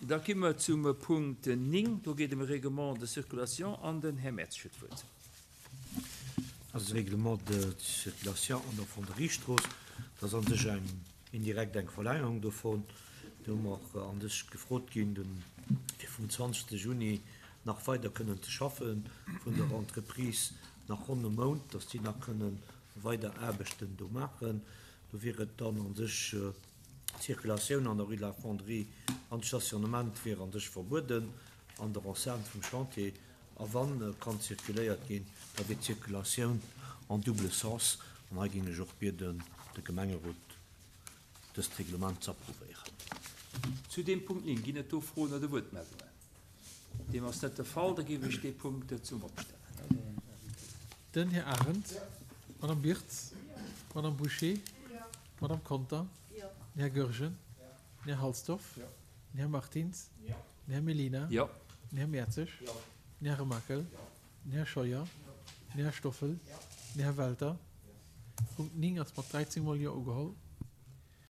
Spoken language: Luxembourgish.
Da gi mer zum Punkt 9. Do geet ëm e Règlement de circulation an den Här Mertz huet d'Wuert. Also de Règlement de circulation an der Fonderiestrooss, dat ass a sech eng indirekt eng Verlängerung dovun. Do hu mer a sech gefrot ginn, de fir vum 20 Juni nach weider kënnen ze schaffen, vun der Entreprise nach ronn e Mount, datt déi nach kënnen weider Aarbechten do maachen. Do wier et dann a sech d'Circulatioun an der Rue de la Fonderie an de Stationnement wier a sech verbueden an der Enceinte vum Chantier. A wann kann zirkuléiert ginn, da wier d'Zirkulatioun en double sens. An hei géing ech och bieden, de Gemengerot dëst Reglement z'approuvéieren. Zu deem Punkt 9, ginn et do Froen oder Wuertmeldungen? Deem ass net de Fall, da géif ech dee Punkt zum Vott stellen. Den Här Arendt, d'Madame Birtz, d'Madame Bouché, d'Madame Conter, den Här Goergen, den Här Halsdorf, den Här Martins, Den Här Mellina. Jo. Den Här Mertzig. Jo. Den Här Remakel. Den Här Scheuer. Den Här Stoffel. Den Här Welter. Punkt 9 ass mat 13 mol Jo ugeholl.